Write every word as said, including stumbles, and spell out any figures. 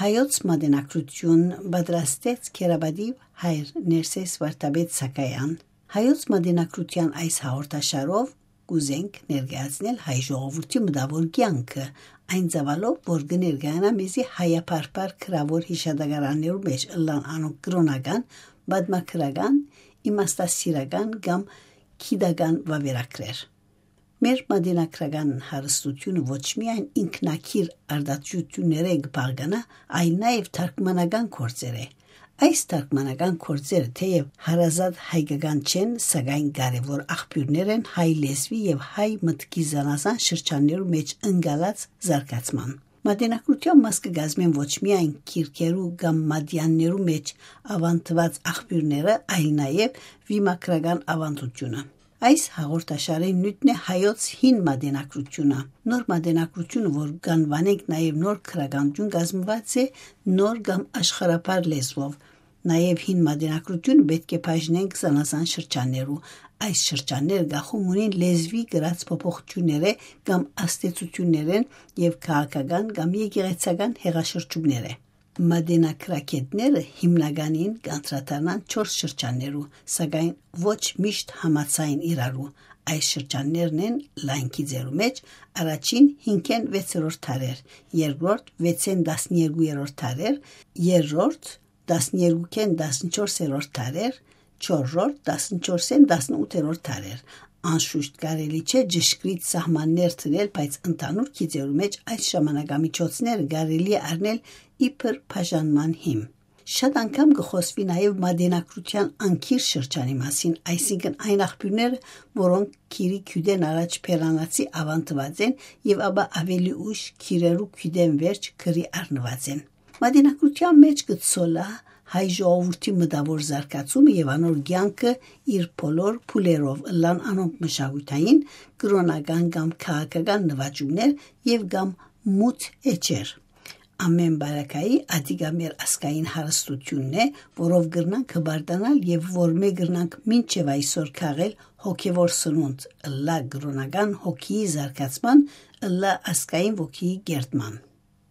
Հայոց մատենակրութիւն պատրաստեց Քերապատիւ հայր Ներսէս Վարդապետ Սակայան։ Հայոց մատենակրութեան այս հաղորդաշարով կ'ուզենք ներկայացնել հայ ժողովուրդի մտաւոր կեանքը, այն ծավալով, որ կը ներկայանայ մեզի հայաբարբար գրաւոր յիշատակարաններու մէջ ըլլան անոնք կրօնական, պատմագրական, իմաստասիրական կամ գիտական վաւերագրեր։ Մեր մատենագրական հարստութիւնը ոչ միայն ինքնագիր արտադրութիւններէ կը բաղկանայ, այլ նաեւ թարգմանական գործերէ։ Այս թարգմանական գործերը թէեւ հարազատ հայկական չեն, սակայն կարեւոր աղբիւրներ են հայ լեզուի եւ հայ մտքի զանազան շրջաններու մէջ ընկալած զարգացման։ Մատենակրութեան մաս կը կազմեն ոչ միայն գիրքերու կամ մատեաններու մէջ աւանդուած աղբիւրները, այլ նաեւ վիմագրական աւանդութիւնը։ Այս հաղորդաշարին նիւթն է հայոց հին մատենակրութիւնը։ Նոր մատենակրութիւնը, որ կ'անուանենք նաեւ նոր գրականութիւն, կազմուած է նոր կամ աշխարհաբար լեզուով։ Նաեւ հին մատենակրութիւնը պէտք է բաժնենք զանազան շրջաններու։ Այս շրջանները կախում ունին լեզուի կրած փոփոխութիւններէ կամ ազդեցութիւններէն եւ քաղաքական կամ եկեղեցական հեղաշրջումներէ։ Մատենագրագէտները հիմնականին կ'անդրադառնան չորս շրջաններու, սակայն ոչ միշտ համաձայն իրարու։ Այս շրջաններն են լայն գիծերու մէջ, առաջին հինգէն վեցերորդ դարեր, երկրորդ վեցէն տասներկուերորդ դարեր, երրորդ տասներկուքէն տասնչորսերորդ դարեր, չորրորդ տասնչորսէն տասնութերորդ դարեր։ Անշուշտ կարելի չէ ճշգրիտ սահմաններ դնել, բայց ընդհանուր գիծերու մէջ այս ժամանակամիջոցները կարելի է առնել իբր բաժանման հիմ։ Շատ անգամ կը խօսուի նաեւ մատենակրութեան անգիր շրջանի մասին, այսինքն այն աղբիւրները, որոնք գիրի գիւտէն առաջ բերանացի աւանդուած են եւ ապա աւելի ուշ գիրերու գիւտէն վերջ գրի առնուած են։ Մատենակրութեան մէջ կը ցոլայ հայ ժողովուրդի մտաւոր զարգացումը եւ անոր կեանքը իր բոլոր փուլերով, ըլլան անոնք մշակութային, կրօնական կամ քաղաքական նուաճումներ եւ կամ մութ էջեր։ Ամէն պարագայի, ատիկա մեր ազգային հարստութիւնն է, որով կրնանք հպարտանալ եւ որմէ կրնանք մինչեւ այսօր քաղել հոգեվոր սնունդ, ըլլայ կրօնական հոգիի զարգացման, ըլլայ ազգային ոգիի կերտման։